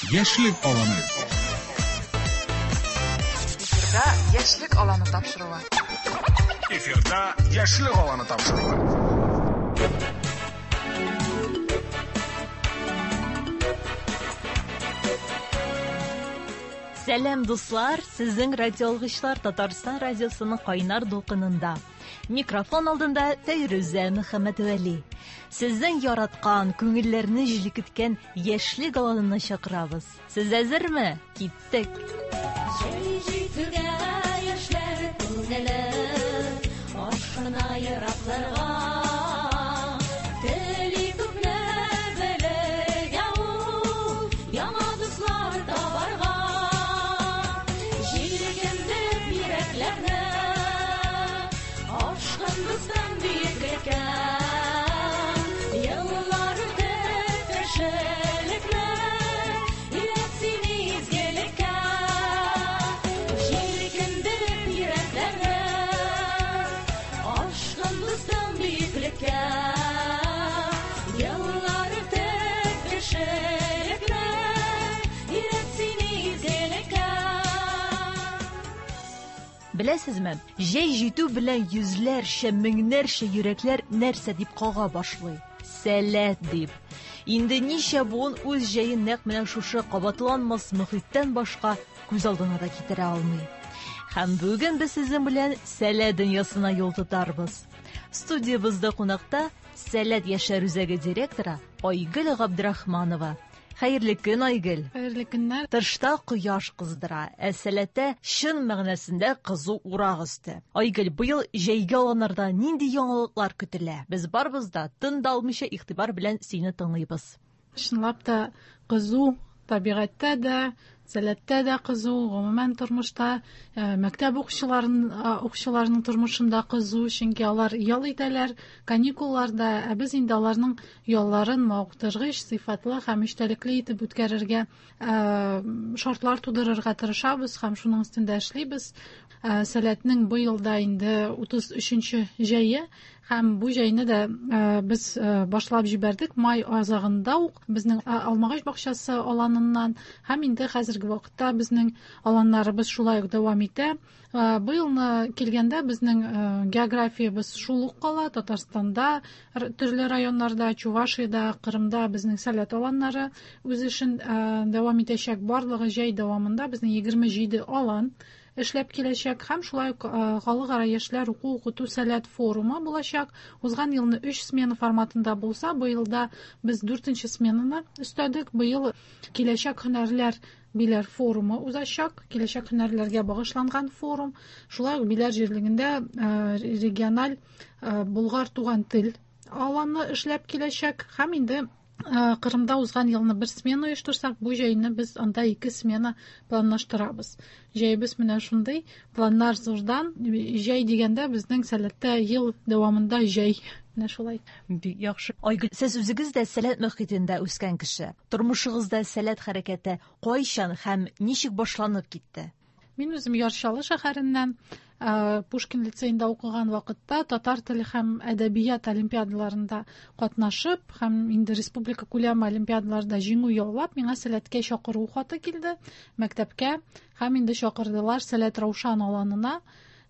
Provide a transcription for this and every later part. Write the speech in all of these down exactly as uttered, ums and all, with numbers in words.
Яшьлек аланы. Эфирда Яшьлек аланы тапшыруы. Эфирда Яшьлек аланы тапшыруы. Сәлам, дуслар! Сезнең радиоалгычлар Татарстан радиосының кайнар дулкынында. Микрофон алдында Фәйрүзә Мөхәммәтвәли. Сезнең яраткан, күңелләрне җилкеткән Яшьлек аланына чакырабыз. Сез әзерме? Киттек! Җәй җитүгә яшьләр күңеле ашкына еракларга. Тели күпне белергә ул, яңа дуслар табарга. Җилкендереп йөрәкләрне, ашкын дустым бөеклеккә. Еллар үтеп кешелекне, өйрәт сине изгелеккә. Җилкендереп йөрәкләрне, ашкын дустым бөеклеккә. Еллар үтеп кешелекне, өйрәт сине изгелеккә. Беләсезме, җәй җитү белән йөзләрчә, меңнәрчә йөрәкләр нәрсә дип кага башлый? Сәләт дип. Инде ничә буын үз җәен нәкъ менә шушы кабатланмас мөхиттән башка күз алдына да китерә алмый. Һәм бүген без сезнең белән Сәләт дөньясына юл тотарбыз. Студиябездә кунакта Сәләт яшьләр үзәге директоры Айгөл Габдрахманова. Хәерле көн, Айгөл. Хәерле көннәр. Тышта кояш кыздыра, ә Сәләттә чын мәгънәсендә кызу урак өсте. Айгөл, быел җәйге аланнарда нинди яңалыклар көтелә? Без барыбыз да тын да алмыйча игътибар белән сине тыңлыйбыз. Чынлап та кызу табигатьтә дә, Сәләттә дә кызу, гомумән тормышта, э, мәктәп укучыларын, э, укучыларының тормышында кызу, чөнки алар ял итәләр, каникулларда, ә без инде аларның ялларын мавыктыргыч, сыйфатлы һәм эчтәлекле итеп үткәрергә, э, шартлар тудырырга тырышабыз һәм шуның өстендә эшлибез. Э, Сәләтнең быел да инде утыз өченче җәе, һәм бу җәйне дә, э, без, э, башлап җибәрдек май азагында ук безнең, э, Алмагач бакчасы аланыннан, һәм инде хәзерге вакытта безнең аланнарыбыз шулай ук дәвам итә. Э, быелны килгәндә безнең, э, географиябез шул ук кала. Татарстанда, р-, төрле районнарда, Чувашиядә, Кырымда безнең Сәләт аланнары үз эшен, э, дәвам итәчәк. Барлыгы җәй дәвамында безнең егерме җиде алан эшләп киләчәк, һәм шулай ук, э, халыкара яшьләр уку укыту Сәләт форумы булачак. Узган елны өч смена форматында булса, быелда без дүртенче сменаны өстәдек. Быел киләчәк һөнәрләр Биләр форумы узачак, киләчәк һөнәрләргә багышланган форум. Шулай ук Биләр җирлегендә, э, региональ, э, Болгар туган тел аланы эшләп киләчәк, һәм инде, э, Кырымда узган елны бер смена оештырсак, бу җәйне без анда ике смена планлаштырабыз. Җәйбез менә шундый, планнар зурдан. Җәй дигәндә безнең Сәләттә ел дәвамында җәй. Менә шулай. Бик яхшы. Айгөл, сез үзегез дә Сәләт мөхитендә үскән кеше. Тормышыгызда Сәләт хәрәкәте кайчан һәм ничек башланып китте? Мин үзем Яр Чаллы шәһәреннән, э, Пушкин лицеенда укыган вакытта татар теле һәм әдәбият олимпиадаларында катнашып һәм инде республика күләме олимпиадаларда җиңү яулап, миңа Сәләткә чакыру хаты килде мәктәпкә, һәм инде чакырдылар Сәләт Раушан аланына.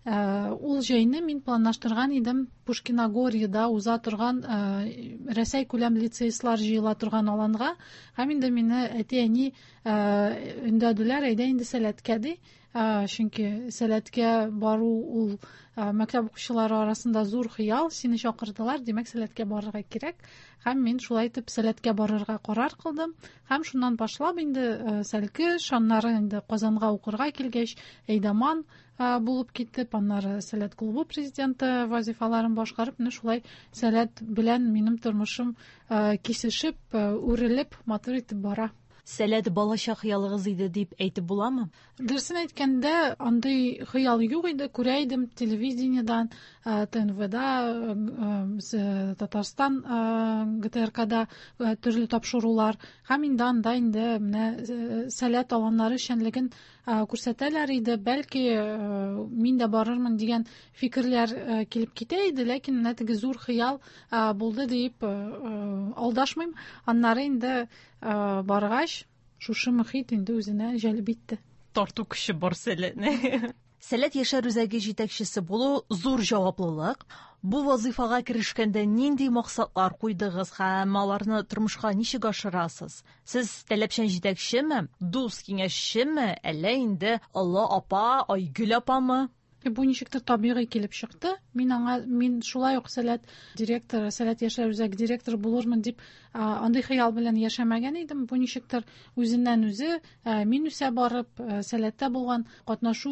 Э, ул җәйне мин планлаштырган идем Пушкиногорьеда уза торган, э, Рәсәй күләм лицеистлар җыела торган аланга, һәм инде мине әти-әни, э, өндәделәр, әйдә инде Сәләткә ди. Э, чөнки Сәләткә бару ул, э, мәктәп укучылары арасында зур хыял, сине чакырдылар, димәк Сәләткә барырга кирәк. Һәм мин шулай итеп Сәләткә барырга карар кылдым. Һәм шуннан башлап инде, э, Сәлкеш, аннары инде Казанга укырга килгәч, әйдаман, э, булып китеп, аннары Сәләт клубы президенты вазифаларын башкарып, менә шулай Сәләт белән минем тормышым, э, кисешеп, э, үрелеп, матур итеп бара. Сәләт балачак хыялыгыз иде дип әйтеп буламы? Дөресен әйткәндә, андый хыял юк иде. Күрә идем телевидениедан, э, Т Н В-да, э, э, Татарстан, э, Г Т Р К-да, э, төрле тапшырулар. Һәм инде анда инде менә, э, Сәләт аланнары эшчәнлеген, э, күрсәтәләр иде. Бәлки, э, мин дә барырмын дигән фикерләр, э, килеп китә иде, ләкин менә теге зур хыял, э, булды дип, э, э, алдашмыйм. Аннары инде, э, баргач, шушы мөхит инде үзенә җәлеп итте. Тарту көче бар Сәләтнең. Сәләт яшьләр үзәге җитәкчесе булу зур җаваплылык. Бу вазыйфага керешкәндә нинди максатлар куйдыгыз һәм аларны тормышка ничек ашырасыз? Сез таләпчән җитәкчеме, дус киңәшчеме, әллә инде олы апа, Айгөл апамы? Бу ничектер табигый килеп чыкты. Мин аңа, мин шулай ук Сәләт директоры, Сәләт яшьләр үзәге директоры булырмын дип андый хыял белән яшәмәгән идем. Бу ничектер үзеннән үзе, мин үсә барып, Сәләттә булган катнашу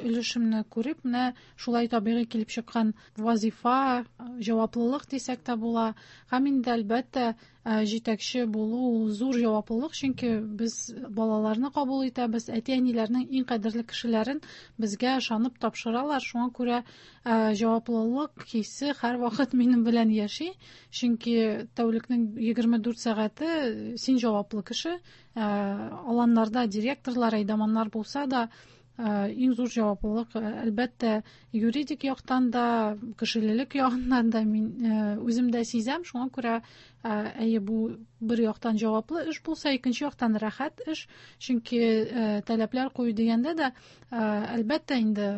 өлешемне күреп, менә шулай табигый килеп чыккан вазифа, җаваплылык дисәк тә була. Һәм инде әлбәттә җитәкче булу ул зур җаваплылык, чөнки без балаларны кабул итәбез, әти-әниләрнең иң кадерле кешеләрен безгә ышанып тапшыралар. Шуңа күрә җаваплылык хисе һәрвакыт минем белән яши, чөнки тәүлекнең егерме дүрт сәгате син җаваплы кеше. Аланнарда директорлар, әйдаманнар булса да, иң зур җаваплылык әлбәттә юридик яктан да, кешелелек ягыннан да мин үзем дә сизәм. Шуңа күрә әйе, бу бер яктан җаваплы эш булса, икенче яктан рәхәт эш, чөнки таләпләр кую дигәндә дә әлбәттә инде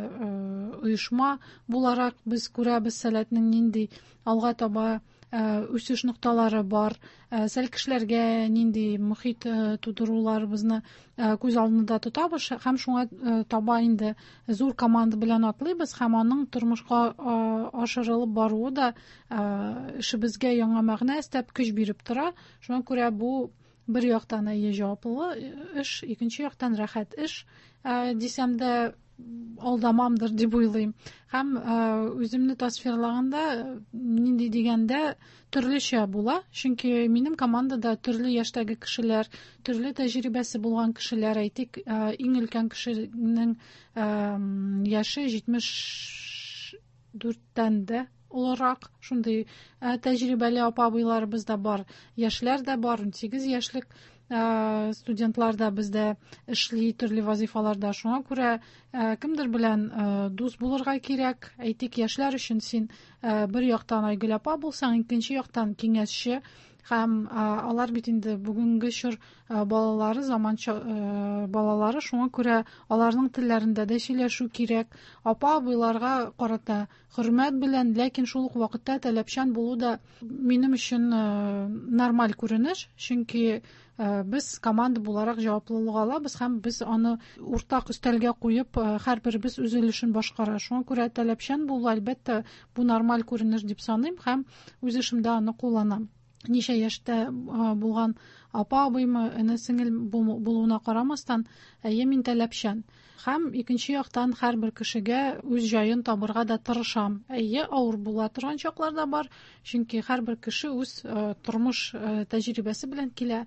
оешма буларак без күрәбез Сәләтнең нинди алга таба үсеш нокталары бар, сәл кешеләргә нинди мөхит тудыруларыбызны күз алдында тотабыз һәм шуңа таба инде зур команда белән атлыйбыз һәм аның тормышка ашырылып баруы да эшебезгә яңа мәгънә өстәп көч биреп тора. Шуңа күрә бу бер яктан әйе җаваплы эш, икенче яктан рәхәт эш дисәм дә алдамамдыр дип уйлыйм. Һәм үземне тасвирлаганда нинди дигәндә төрлечә була, чөнки минем командада төрле яшьтәге кешеләр, төрле тәҗрибәсе булган кешеләр. Әйтик, иң өлкән кешенең яше җитмеш дүрттән дә олырак, шундый тәҗрибәле апа-абыйларыбыз да бар, яшьләр дә бар, унсигез яшьлек студентлар да бездә эшли төрле вазифаларда. Шуңа күрә кемдер белән дус булырга кирәк. Әйтик, яшьләр өчен син бер яктан Айгөл апа булсаң, икенче яктан киңәшче. Һәм алар бит инде бүгенге чор балалары, заманча балалары, шуңа күрә аларның телләрендә дә сөйләшү кирәк. Апа-абыйларга карата хөрмәт белән, ләкин шул ук вакытта таләпчән булу да минем өчен нормаль күренеш, чөнки без команда буларак җаваплылык алабыз һәм без аны уртак өстәлгә куеп, һәрберебез үз өлешен башкара. Шуңа күрә таләпчән булу, әлбәттә, бу нормаль күренеш дип саныйм һәм үз эшемдә аны кулланам. Ничә яшьтә булган апа-абыймы, эне-сеңел булуына карамастан, әйе, мин таләпчән. Һәм икенче яктан һәрбер кешегә үз җаен табырга да тырышам. Әйе, авыр була торган чаклар да бар, чөнки һәрбер кеше үз тормыш тәҗрибәсе белән килә.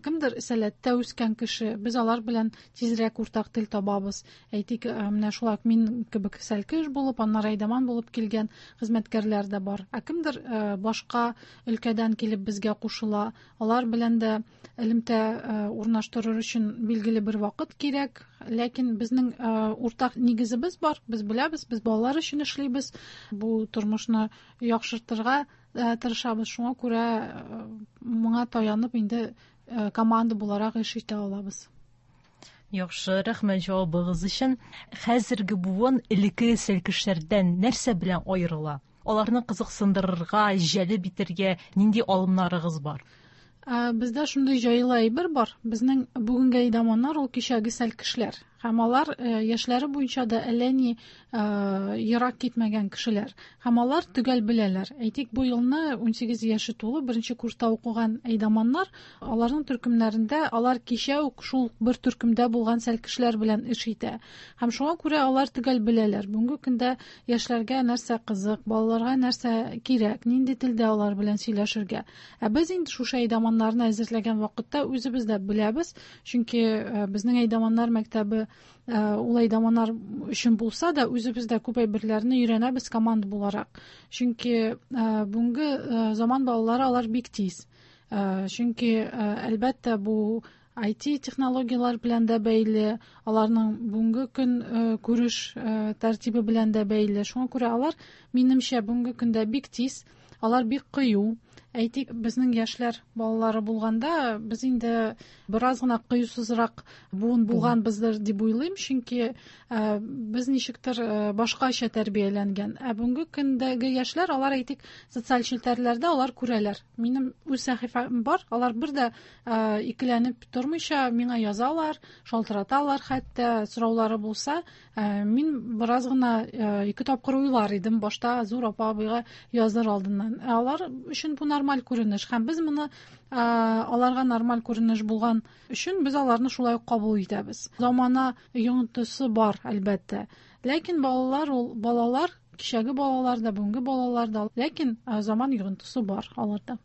Кемдер Сәләттә үскән кеше, без алар белән тизрәк уртак тел табабыз. Әйтик, менә шулай мин кебек сәлкеш булып, аннары әйдаман булып килгән хезмәткәрләр дә бар. Ә кемдер башка өлкәдән килеп безгә кушыла, алар белән дә элемтә урнаштырыр өчен билгеле бер вакыт кирәк. Ләкин безнең уртак нигезебез бар, без беләбез, без балалар өчен эшлибез, бу тормышны яхшыртырга тырышабыз. Шуңа күрә моңа таянып инде команда буларак эш итә алабыз. Яхшы, рәхмәт җавабыгыз өчен. Хәзерге буын элекке сәлкешләрдән нәрсә белән аерыла? Аларны кызыксындырырга, җәлеп итәргә нинди алымнарыгыз бар? Бездә шундый җайлы әйбер бар. Безнең бүгенге әйдаманнар ул кичәге сәлкешләр. Һәм алар яшьләре буенча да әллә ни ерак китмәгән кешеләр. Һәм алар төгәл беләләр. Әйтик, бу елны унсигез яше тулы беренче курста укыган әйдаманнар, аларның төркемнәрендә алар кичә үк шул бер төркемдә булган сәлкешләр белән эш итә. Һәм шуңа күрә алар төгәл беләләр. Бүгенге көндә яшьләргә нәрсә кызык, балаларга нәрсә кирәк, нинди телдә алар белән сөйләшергә. Ә без инде шушы әйдаманнарны әзерләгән вакытта үзебез дә беләбез, чөнки безнең әйдаманнар мәктәбе ул әйдаманнар өчен булса да, үзебез дә күп әйберләрне өйрәнәбез команда буларак. Чөнки бүгенге заман балалары алар бик тиз. Чөнки әлбәттә бу ай ти технологиялар белән дә бәйле, аларның бүгенге көн күреш тәртибе белән дә бәйле. Шуңа күрә алар, минемчә, бүгенге көндә бик тиз, алар бик кыю. Әйтик, безнең яшьләр балалары булганда, без инде бераз гына кыюсызрак буын булганбыздыр дип уйлыйм, чөнки без ничектер башкача тәрбияләнгән. Ә бүгенге көндәге яшьләр, алар, әйтик, социаль челтәрләрдә алар күрәләр. Минем үз сәхифәм бар, алар бер дә икеләнеп тормыйча миңа язалар, шалтыраталар, хәтта сораулары булса, мин бераз гына ике тапкыр уйлар идем башта зур апа абыйга языр алдыннан. Ә алар өчен бу нормаль күренеш, һәм без моны аларга нормаль күренеш булган өчен без аларны шулай ук кабул итәбез. Замана йогынтысы бар, әлбәттә. Ләкин балалар ул балалар, кичәге балалар да, бүгенге балалар да, ләкин заман йогынтысы бар аларда.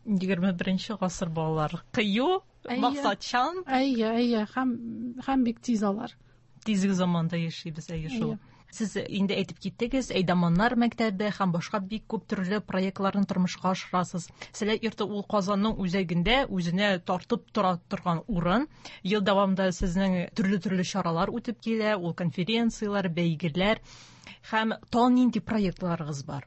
Егерме беренче гасыр балалары кыю, максатчан. Әйе, әйе, һәм һәм бик тиз алар. Тизге заманда яшибез, әйе шул. Сез инде әйтеп киттегез, Әйдаманнар мәктәбе һәм башка бик күп төрле проектларны тормышка ашырасыз. Сәләт йорты ул Казанның үзәгендә үзенә тартып тора торган урын. Ел дәвамында сезнең төрле-төрле чаралар үтеп килә, ул конференцияләр, бәйгеләр һәм тагын нинди проектларыгыз бар?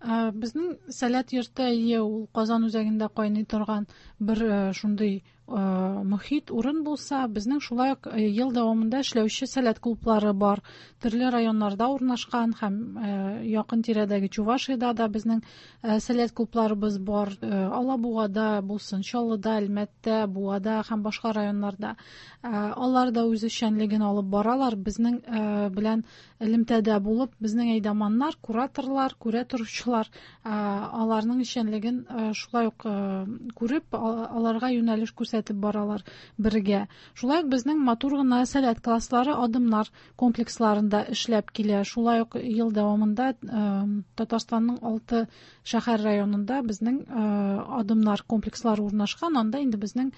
Безнең Сәләт йорты, әйе, ул Казан үзәгендә кайный торган бер шундый мөхит урын булса, безнең шулай ук ел дәвамында эшләүче сәләт клублары бар. Төрле районнарда урнашкан һәм якын тирәдәге Чувашиядә дә безнең сәләт клубларыбыз бар. Алабугада булсын, Чаллыда, Әлмәттә, Буада һәм башка районнарда. Алар да үз эшчәнлеген алып баралар. Безнең белән элемтәдә булып, безнең әйдаманнар, кураторлар, күрә торучылар аларның эшчәнлеген шулай ук күреп, аларга юнәлеш күрсәтеп баралар бергә. Шулай ук безнең матур гына сәләт класслары адымнар комплексларында эшләп килә. Шулай ук ел дәвамында Татарстанның алты шәһәр районында безнең адымнар комплекслары урнашкан. Анда инде безнең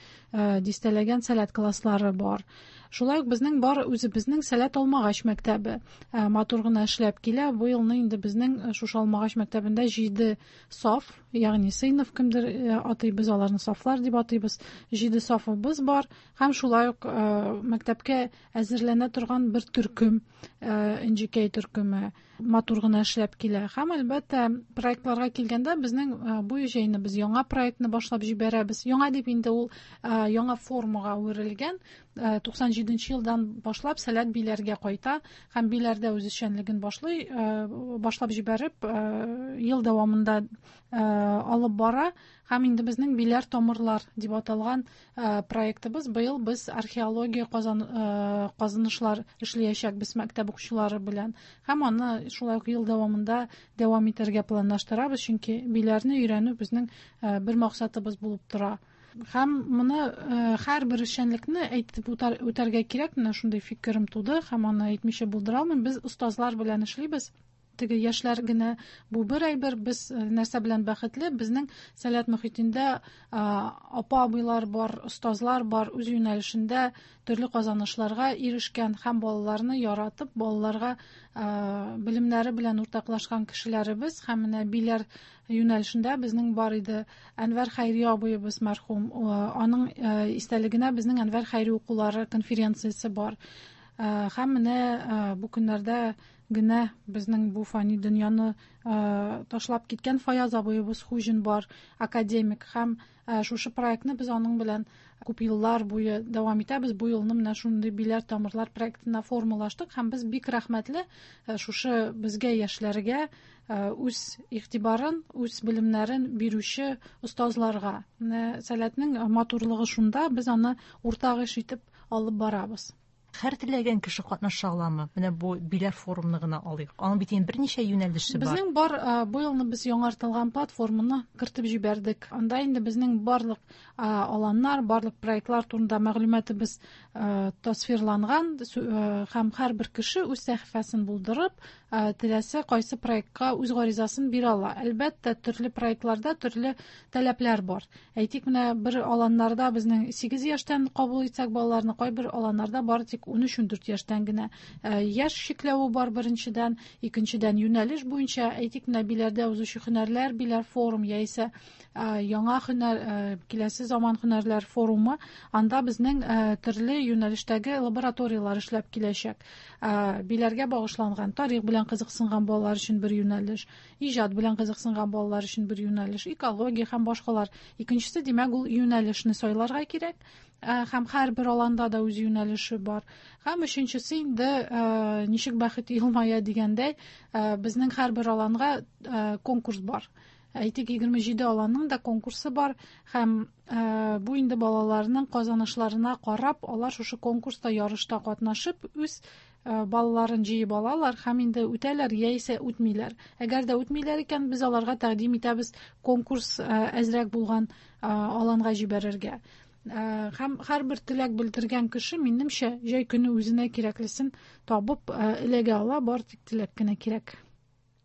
дистәләгән сәләт класслары бар. Шулай ук безнең бар үзебезнең Сәләт Алмагач мәктәбе матур гына эшләп килә. Бу елны инде безнең шушы Алмагач мәктәбендә җиде саф, ягъни сыйныф кемдер атыйбыз, аларны сафлар дип атыйбыз. Җиде сафыбыз бар һәм шулай ук мәктәпкә әзерләнә торган бер төркем, Н Ж К төркеме матур гына эшләп килә. Һәм әлбәттә проектларга килгәндә безнең бу җәйне без яңа проектны башлап җибәрәбез. Яңа дип инде ул яңа формага әверелгән. Туксан җиденче елдан башлап Сәләт Биләргә кайта һәм Биләрдә үз эшчәнлеген башлый, башлап җибәреп, ел дәвамында алып бара. Һәм инде безнең Биләр тамырлар дип аталган проектыбыз быел без археология казан, казынышлар эшләячәкбез мәктәп укучылары белән. Һәм аны шулай ук ел дәвамында дәвам итәргә планлаштырабыз, чөнки Биләрне өйрәнү безнең бер максатыбыз булып тора. Һәм моны һәрбер эшчәнлекне әйтеп үтәргә кирәк, менә шундый фикерем туды һәм аны әйтмичә булдыра алмыйм. Без остазлар белән эшлибез. Теге яшьләр генә бу бер әйбер, без нәрсә белән бәхетле, безнең сәләт мөхитендә апа абыйлар бар, остазлар бар, үз юнәлешендә төрле казанышларга ирешкән һәм балаларны яратып, балаларга белемнәре белән уртаклашкан кешеләребез. Һәм менә Биләр юнәлешендә безнең бар иде Әнвәр Хәйри абыебыз мәрхүм, аның истәлегенә безнең Әнвәр Хәйри укулары конференциясе бар. Һәм менә бу көннәрдә генә безнең бу фани дөньяны ташлап киткән Фаяз абыебыз Хуҗин бар, академик. Һәм шушы проектны без аның белән күп еллар буе дәвам итәбез. Бу елны менә шундый Биләр тамырлар проектына формалаштык һәм без бик рәхмәтле шушы безгә, яшьләргә үз игътибарын, үз белемнәрен бирүче остазларга. Менә сәләтнең матурлыгы шунда, без аны уртак эш итеп алып барабыз. Һәр теләгән кеше катнаша аламы? Менә бу Биләр форумны гына алыйк. Аның бит инде берничә юнәлеше бар. Безнең бар, бу елны без яңартылган платформаны кертеп җибәрдек. Анда инде безнең барлык аланнар, барлык проектлар турында мәгълүматыбыз тасвирланган һәм һәрбер кеше үз сәхифәсен булдырып, теләсә кайсы проектка үз гаризасын бирә ала. Әлбәттә, төрле проектларда төрле таләпләр бар. Әйтик, менә бер аланнарда безнең сигез яшьтән кабул итсәк балаларны, кайбер аланнарда бары тик әйтик, ун өч-ун дүрт яшьтән генә. Яшь чикләве бар беренчедән, икенчедән юнәлеш буенча, әйтик, менә Биләрдә узучы һөнәрләр, Биләр форум яисә яңа һөнәр, киләсе заман һөнәрләр форумы, анда безнең төрле юнәлештәге лабораторияләр эшләп киләчәк. Биләргә багышланган, тарих белән кызыксынган балалар өчен бер юнәлеш, иҗат белән кызыксынган балалар өчен бер юнәлеш, экология һәм башкалар. Икенчесе, димәк, ул юнәлешне сайларга кирәк. Һәм һәрбер аланда да үз юнәлеше бар. Һәм өченчесе инде, ничек бәхет елмая дигәндәй, безнең һәрбер аланга конкурс бар. Әйтик, егерме җиде аланның да конкурсы бар, һәм бу инде балаларның казанышларына карап, алар шушы конкурста ярышта катнашып, үз балаларын җыеп алалар һәм инде үтәләр яисә үтмиләр. Әгәр дә үтмиләр икән, без аларга тәкъдим итәбез конкурс әзрәк булган аланга җибәрергә. Һәм һәрбер теләк белдергән кеше, минемчә, җәй көне үзенә кирәклесен табып эләгә ала, бар тик теләк кенә кирәк.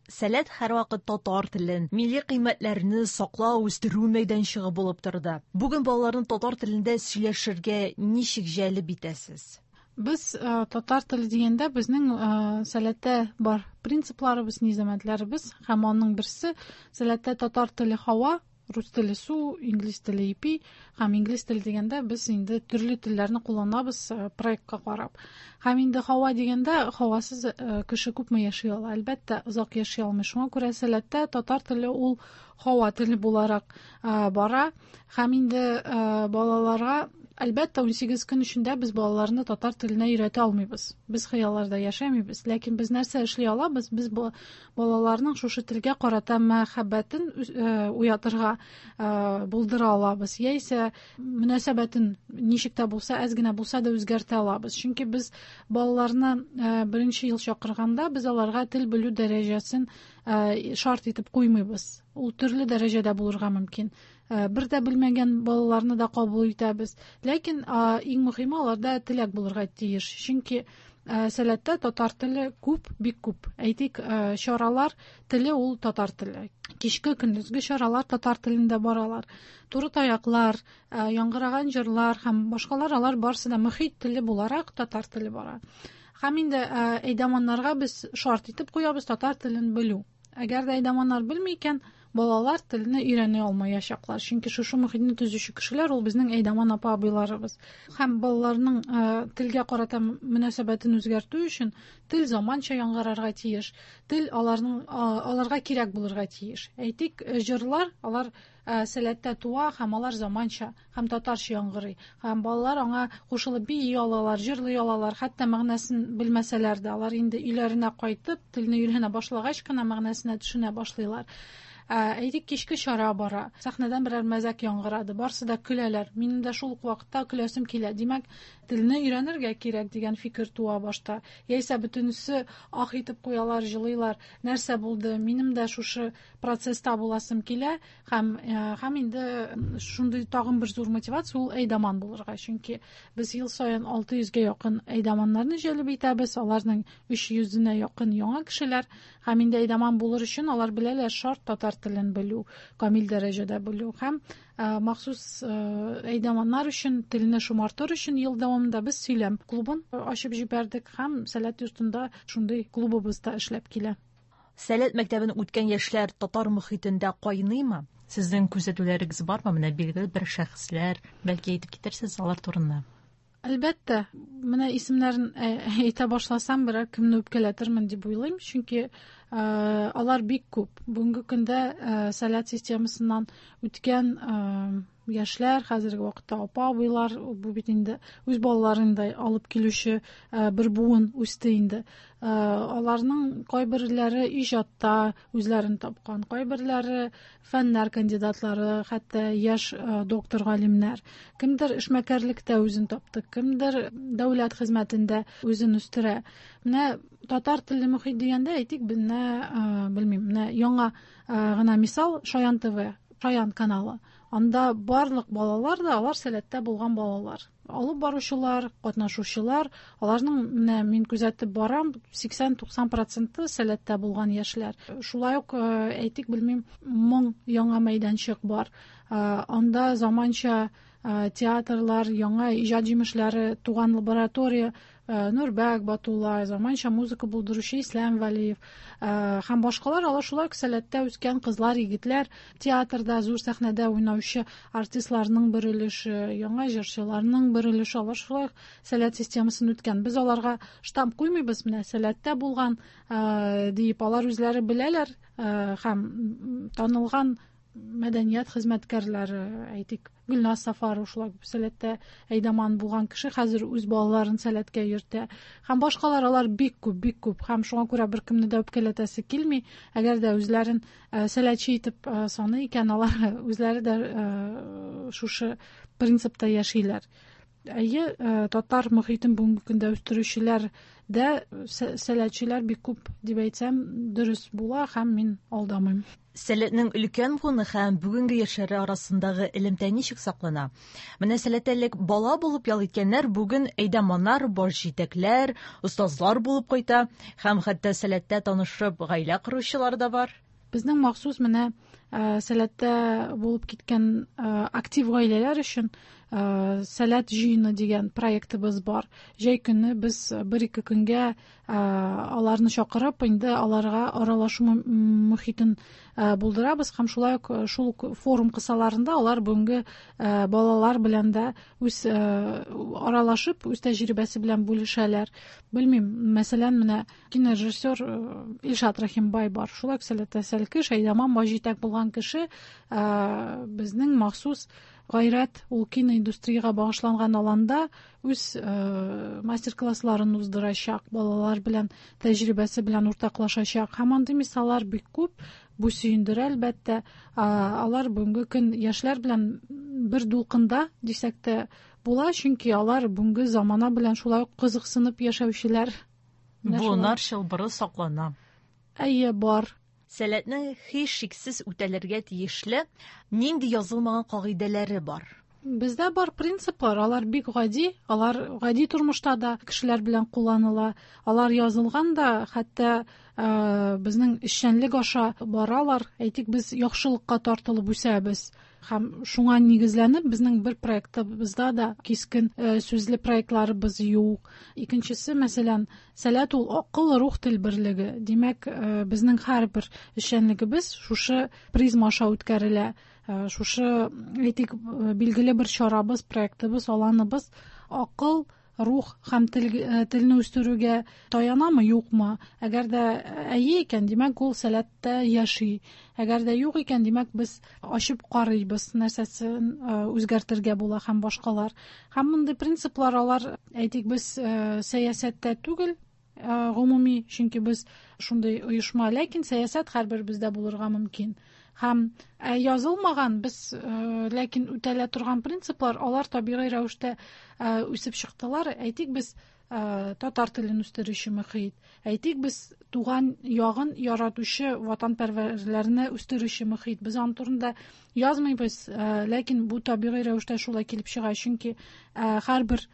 Сәләт һәрвакыт татар телен, милли кыйммәтләрне саклау, үстерү мәйданчыгы булып торды. Бүген балаларны татар телендә сөйләшергә ничек җәлеп итәсез? Без татар теле дигәндә безнең Сәләттә бар принципларыбыз, низамәтләребез, һәм аның берсе Сәләттә татар теле һава, рус теле су, инглиз теле ипи, һәм инглиз теле дигәндә без инде төрле телләрне кулланабыз проектка карап. Һәм инде һава дигәндә һавасыз кеше күпме яши ала? Әлбәттә, озак яши алмый. Шуңа күрә Сәләттә татар теле ул һава теле буларак бара. Һәм инде балаларга әлбәттә, ун сигез көн эчендә без балаларны татар теленә өйрәтә алмыйбыз. Без хыялларда яшәмибез. Ләкин без нәрсә эшли алабыз? Без балаларның шушы телгә карата мәхәббәтен уятырга булдыра алабыз. Яисә мөнәсәбәтен ничек тә булса, әз генә булса да үзгәртә алабыз. Чөнки без балаларны беренче ел чакырганда без аларга тел белү дәрәҗәсен шарт итеп куймыйбыз. Ул төрле дәрәҗәдә булырга мөмкин. Бер дә белмәгән балаларны да кабул итәбез. Ләкин иң мөһиме аларда теләк булырга тиеш. Чөнки Сәләттә татар теле күп, бик күп. Әйтик, чаралар теле ул татар теле. Кичке көндезге чаралар татар телендә баралар. Туры таяклар, яңгыраган җырлар һәм башкалар, алар барысы да мөхит теле буларак татар теле бара. Һәм инде әйдаманнарга без шарт итеп куябыз татар телен белү. Әгәр дә әйдаманнар белми икән, балалар телне өйрәнә алмаячаклар. Чөнки шушы мөхитне төзүче кешеләр ул безнең әйдаман апа абыйларыбыз. Һәм балаларның телгә карата мөнәсәбәтен үзгәртү өчен тел заманча яңгырарга тиеш. Тел аларның аларга кирәк булырга тиеш. Әйтик, җырлар алар Сәләттә туа һәм алар заманча һәм татарча яңгырый. Һәм балалар аңа кушылып бии алалар, җырлый алалар, хәтта мәгънәсен белмәсәләр дә, алар инде өйләренә кайтып, телне өйрәнә башлагач кына мәгънәсенә төшенә башлыйлар. Әйтик, кичке чара бара. Сәхнәдән берәр мәзәк яңгырады. Барсы да көләләр. Минем дә шул ук вакытта көләсем килә. Димәк, телне өйрәнергә кирәк дигән фикер туа башта. Яисә бөтенесе ах итеп куялар, җылыйлар. Нәрсә булды? Минем дә шушы процесста буласым килә. Һәм, һәм инде шундый тагын бер зур мотивация ул әйдаман булырга. Чөнки без ел саен алты йөзгә якын әйдаманнарны җәлеп итәбез. Аларның өч йөзенә якын яңа кешеләр. Һәм инде әйдаман булыр өчен алар беләләр шарт татар телен белү, камил дәрәҗәдә белү һәм махсус әйдаманнар өчен телне шомартыр өчен ел дәвамында без сөйләм клубын ачып җибәрдек һәм Сәләт йортында шундый клубыбыз да эшләп килә. Сәләт мәктәбен үткән яшьләр татар мөхитендә кайныймы? Сезнең күзәтүләрегез бармы? Менә билгеле бер шәхесләр, бәлки әйтеп китерсез алар турында. Әлбәттә, менә исемнәрен әйтә башласам, берәр кемне үпкәләтермен дип уйлыйм, чөнки алар бик күп. Бүгенге көндә Сәләт системасыннан үткән яшьләр, хәзерге вакытта апа абыйлар, бу бит инде үз балаларын да алып килүче бер буын үсте инде. Аларның кайберләре иҗатта үзләрен тапкан, кайберләре фәннәр кандидатлары, хәтта яшь доктор галимнәр. Кемдер эшмәкәрлектә үзен тапты, кемдер дәүләт хезмәтендә үзен үстерә. Менә татар телле мөхит дигәндә әйтик, менә белмим, менә яңа гына мисал Шаян ТВ, Шаян каналы. Анда барлык балалар да, алар Сәләттә булган балалар. Алып баручылар, катнашучылар, аларның менә мин күзәтеп барам, сиксән-туксан проценты Сәләттә булган яшьләр. Шулай ук әйтик, белмим, моң яңа мәйданчык бар. Анда заманча театрлар, яңа иҗат җимешләре туган лаборатория, Нурбәк Батулла, заманча музыка булдыручы Ислам Вәлиев һәм башкалар, алар шулай ук Сәләттә үскән кызлар, егетләр, театрда, зур сәхнәдә уйнаучы артистларның бер өлеше, яңа җырчыларның бер өлеше, алар шулай ук Сәләт системасын үткән. Без аларга штамп куймыйбыз, менә Сәләттә булган диеп, алар үзләре беләләр һәм танылган мәдәният хезмәткәрләре, әйтик, Гөлназ Сафарова шулай ук Сәләттә әйдаман булган кеше, хәзер үз балаларын Сәләткә йөртә. Һәм башкалар, алар бик күп, бик күп. Һәм шуңа күрә беркемне дә үпкәләтәсе килми. Әгәр дә үзләрен сәләтче итеп саный икән, алар үзләре дә шушы принципта яшиләр. Әйе, татар мөхитен бүгенге көндә үстерүчеләр дә сәләтчеләр бик күп дип әйтсәм, дөрес була һәм мин алдамыйм. Сәләтнең өлкән буыны һәм бүгенге яшьләре арасындагы элемтә ничек саклана? Менә Сәләттә элек бала булып ял иткәннәр бүген әйдаманнар, баш җитәкләр, остазлар булып кайта һәм хәтта Сәләттә танышып гаилә коручылар да бар. Безнең махсус менә Сәләттә булып киткән актив гаиләләр өчен Сәләт җыены дигән проектыбыз бар. Җәй көне без бер-ике көнгә аларны чакырып, инде аларга аралашу мөхитен булдырабыз һәм шулай ук шул форум кысаларында алар бүгенге балалар белән дә үз аралашып, үз тәҗрибәсе белән бүлешәләр. Белмим, мәсәлән, менә кинорежиссер Илшат Рәхимбай бар. Шулай ук Сәләттә сәлкеш, әйдаман, баш җитәк булган кеше, безнең махсус Гайрәт ул киноиндустриягә багышланган аланда үз мастер-классларын уздырачак, балалар белән тәҗрибәсе белән уртаклашачак. Һәм андый мисаллар бик күп. Бу сөендерә, әлбәттә. Алар бүгенге көн яшьләр белән бер дулкында дисәк тә була, чөнки алар бүгенге замана белән шулай ук кызыксынып яшәүчеләр. Буыннар чылбыры саклана. Әйе, бар. Сәләтнең һичшиксез үтәлергә тиешле нинди язылмаган кагыйдәләре бар? Бездә бар принциплар, алар бик гади, алар гади тормышта да кешеләр белән кулланыла. Алар язылган да, хәтта безнең эшчәнлек аша баралар. Әйтик, без яхшылыкка тартылып үсәбез. Һәм шуңа нигезләнеп, безнең бер проектыбызда да кискен сүзле проектларыбыз юк. Икенчесе, мәсәлән, Сәләт ул акыл, рух, тел берлеге. Димәк, безнең һәрбер эшчәнлегебез шушы призма аша үткәрелә. Шушы, әйтик, билгеле бер чарабыз, проектыбыз, аланыбыз акыл, рух һәм тел, телне үстерүгә таянамы, юкмы? Әгәр дә әйе икән, димәк, ул Сәләттә яши. Әгәр дә юк икән, димәк, без ачып карыйбыз, нәрсәсен үзгәртергә була һәм башкалар. Һәм мондый принциплар алар, әйтик, без сәясәттә түгел, гомуми, чөнки без шундый оешма, ләкин сәясәт һәрбер бездә булырга мөмкин. Һәм язылмаган, без ләкин үтәлә торган принциплар, алар табигый рәвештә үсеп чыктылар. Әйтик, без татар телен үстерүче мөхит, әйтик, без туган ягын яратучы ватанпәрвәрләрне үстерүче мөхит. Без аның турында язмыйбыз, ләкин бу табигый рәвештә шулай килеп чыга, чөнки һәрбер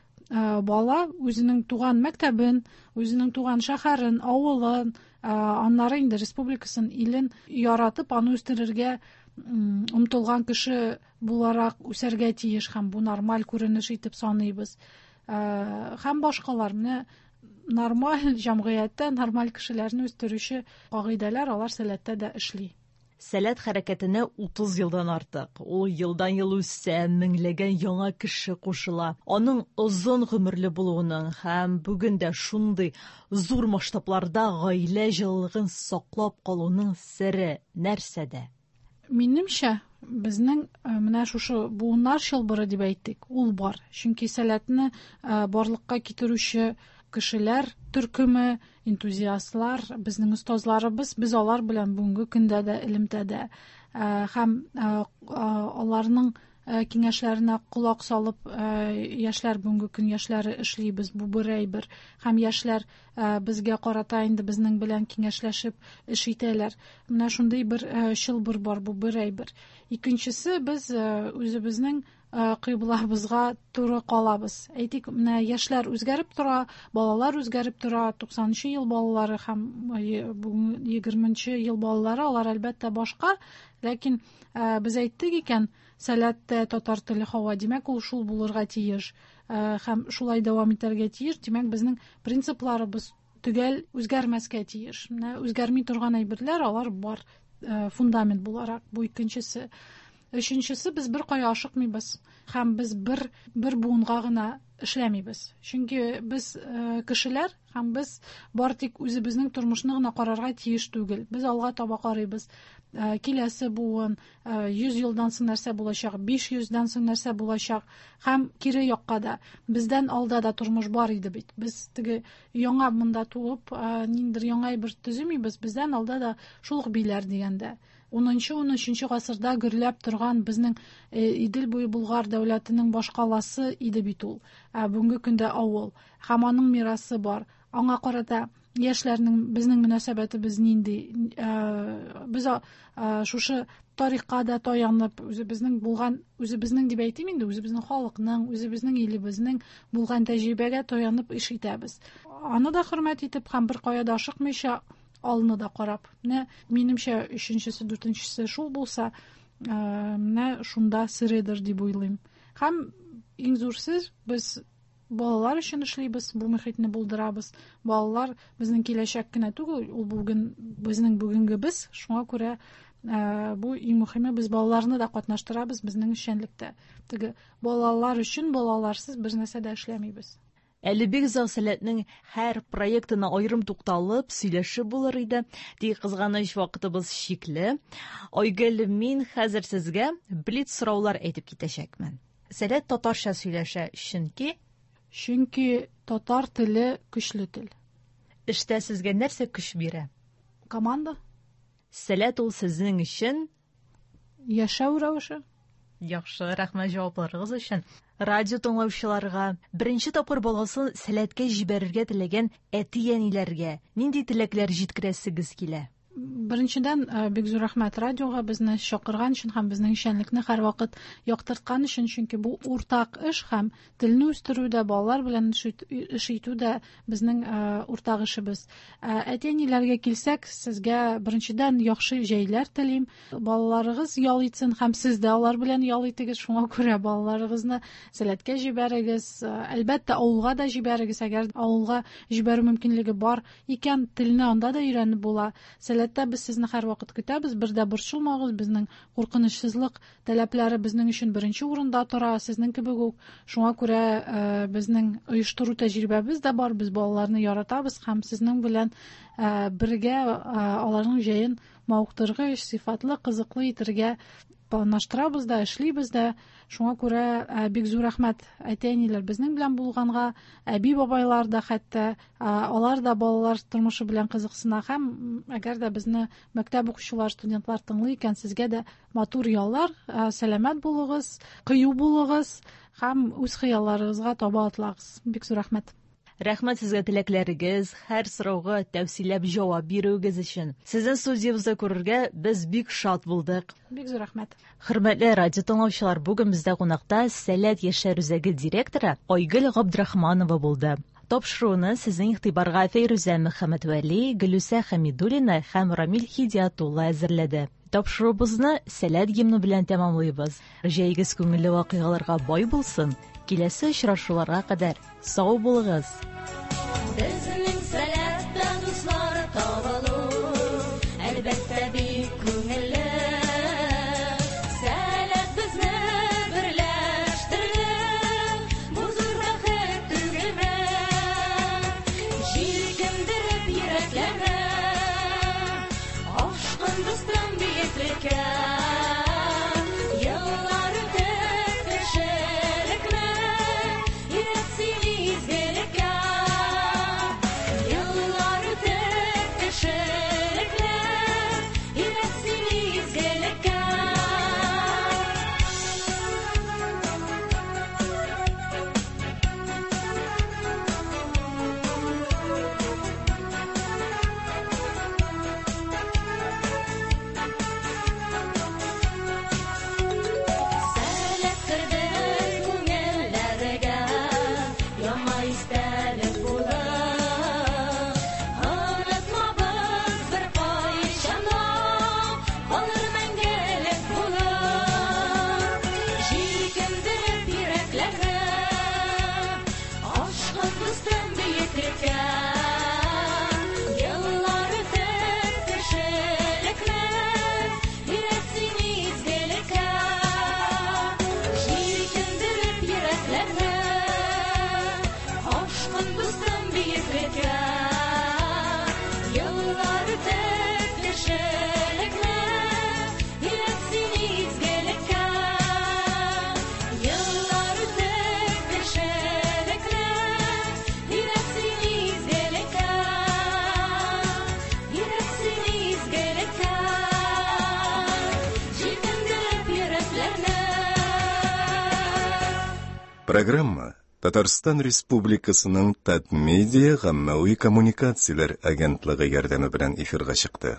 бала үзенең туган мәктәбен, үзенең туган шәһәрен, авылын, аннары инде республикасын, илен яратып, аны үстерергә омтылган кеше буларак үсәргә тиеш һәм бу нормаль күренеш итеп саныйбыз. Һәм башкалар. Менә нормаль җәмгыятьтә нормаль кешеләрне үстерүче кагыйдәләр алар Сәләттә дә эшли. Сәләт хәрәкәтенә утыз елдан артык. Ул елдан ел үсә, меңләгән яңа кеше кушыла. Аның озын гомерле булуының һәм бүген дә шундый зур масштабларда гаилә җылылыгын саклап калуның сере нәрсәдә? Минемчә, безнең менә шушы буыннар чылбыры дип әйттек, ул бар. Чөнки Сәләтне барлыкка китерүче кешеләр төркеме, энтузиастлар, безнең остазларыбыз, без алар белән бүгенге көндә дә элемтәдә. Һәм аларның киңәшләренә колак салып, яшьләр бүгенге көн яшьләре эшлибез, бу бер әйбер. Һәм яшьләр безгә карата инде безнең белән киңәшләшеп эш итәләр. Менә шундый бер чылбыр бар, бу бер әйбер. Икенчесе, без үзебезнең кыйблабызга туры калабыз. Әйтик, менә яшьләр үзгәреп тора, балалар үзгәреп тора, туксанынчы ел балалары һәм бүген егерменче ел балалары, алар әлбәттә башка, ләкин без әйттек икән, Сәләттә татар теле һава, димәк, ул шул булырга тиеш һәм шулай дәвам итәргә тиеш. Димәк, безнең принципларыбыз төгәл үзгәрмәскә тиеш. Менә үзгәрми торган әйберләр алар бар, фундамент буларак. Бу икенчесе. Өченчесе, без бер кая ашыкмыйбыз һәм без бер бер буынга гына эшләмибез. Чөнки без кешеләр һәм без бар тик үзебезнең тормышны гына карарга тиеш түгел. Без алга таба карыйбыз. Киләсе буын, йөз елдан соң нәрсә булачак, биш йөздән соң нәрсә булачак һәм кире якка да. Бездән алда да тормыш бар иде бит. Без теге яңа монда туып, ниндидер яңа бер төземибез. Бездән алда да шул ук биләр дигәндә. Унынчы, унөченче гасырда гөрләп торган безнең Идел буе Болгар дәүләтенең башкаласы иде бит ул. Ә бүгенге көндә авыл һәм аның мирасы бар. Аңа карата яшьләрнең безнең мөнәсәбәтебез нинди? Без шушы тарихка да таянып, үзебезнең булган, үзебезнең дип әйтим инде, үзебезнең халыкның, үзебезнең илебезнең булган тәҗрибәгә таянып эш итәбез. Аны да хөрмәт итеп һәм бер кая да ашыкмыйча алны да карап. Менә минемчә өченчесе, дүртенчесе шул булса, менә шунда середер дип уйлыйм. Һәм иң зур сер, без балалар өчен эшлибез, бу мөхитне булдырабыз. Балалар безнең киләчәк кенә түгел, ул бүген безнең бүгенгебез. Шуңа күрә бу иң мөһиме, без балаларны да катнаштырабыз безнең эшчәнлектә. Теге балалар өчен балаларсыз бер нәрсә дә эшләмибез. Әле бик озак Сәләтнең һәр проектына аерым тукталып сөйләшеп булыр иде. Тик кызганыч, вакытыбыз чикле. Айгөл, мин хәзер сезгә блиц сораулар әйтеп китәчәкмен. Сәләт татарча сөйләшә, чөнки Чөнки татар теле көчле тел. Эштә сезгә нәрсә көч бирә? Команда. Сәләт ул сезнең өчен яшәү рәвеше. Яхшы, рәхмәт җавапларыгыз өчен. Радио тыңлаучыларга, беренче тапкыр баласын Сәләткә җибәрергә теләгән әти-әниләргә нинди теләкләр җиткерәсегез килә? Беренчедән, бик зур рәхмәт радиога безне чакырган өчен һәм безнең эшчәнлекне һәрвакыт яктырткан өчен, чөнки бу уртак эш һәм телне үстерү дә, балалар белән эш итү дә безнең уртак эшебез. Әти-әниләргә килсәк, сезгә беренчедән яхшы җәйләр телим. Балаларыгыз ял итсен һәм сез дә алар белән ял итегез. Шуңа күрә балаларыгызны Сәләткә җибәрегез. Әлбәттә, авылга да җибәрегез. Әгәр авылга җибәрү мөмкинлеге бар икән, телне анда да өйрәнеп була. Сәләттә без сезне һәрвакыт көтәбез, бер дә борчылмагыз, безнең куркынычсызлык таләпләре безнең өчен беренче урында тора, сезнең кебек үк. Шуңа күрә безнең оештыру тәҗрибәбез дә бар, без балаларны яратабыз һәм сезнең белән бергә аларның җәен мавыктыргыч, сыйфатлы, кызыклы итәргә планлаштырабыз да, эшлибез дә. Шуңа күрә бик зур рәхмәт әти-әниләр безнең белән булганга, әби-бабайлар да хәтта, алар да балалар тормышы белән кызыксына һәм әгәр дә безне мәктәп укучылар, студентлар тыңлый икән, сезгә дә матур яллар, сәламәт булыгыз, кыю булыгыз һәм үз хыялларыгызга таба атлагыз. Бик зур рәхмәт. Рәхмәт сезгә теләкләрегез, һәр сорауга тәфсилләп җавап бирүегез өчен. Сезне студиябездә күрергә без бик шат булдык. Бик зур рәхмәт. Хөрмәтле радио тыңлаучылар, бүген бездә кунакта Сәләт яшьләр үзәге директоры Айгөл Габдрахманова булды. Тапшыруны сезнең игътибарга Фәйрүзә Мөхәммәтвәли, Гөлүсә Хәмидуллина һәм Рамил Хидиятулла әзерләде. Тапшыруыбызны Сәләт гимны белән тәмамлыйбыз. Җәйгез күңелле вакыйгаларга бай булсын. Киләсе очрашуларга кадәр сау булыгыз. Безнең Сәләттә дуслар табылу, әлбәттә бик күңелле. Сәләт безне берләштерде, бу зур бәхет түгелме? Җилкендереп йөрәкләрне, ашкын дустым биеклеккә. Еллар үтеп кешелекне, өйрәт син изгелеккә. Бөеклеккә. Еллар үтеп кешелекне өйрәт син изгелеккә. Җилкендереп йөрәкләрне, ашкын дустым бөеклеккә. Еллар үтеп кешелекне өйрәт син изгелеккә. Еллар үтеп кешелекне өйрәт син изгелеккә. Өйрәт син изгелеккә. Җилкендереп йөрәкләрне. Программа Татарстан Республикасының Татмедиа гаммәви коммуникацияләр агентлыгы ярдәме белән эфирга чыкты.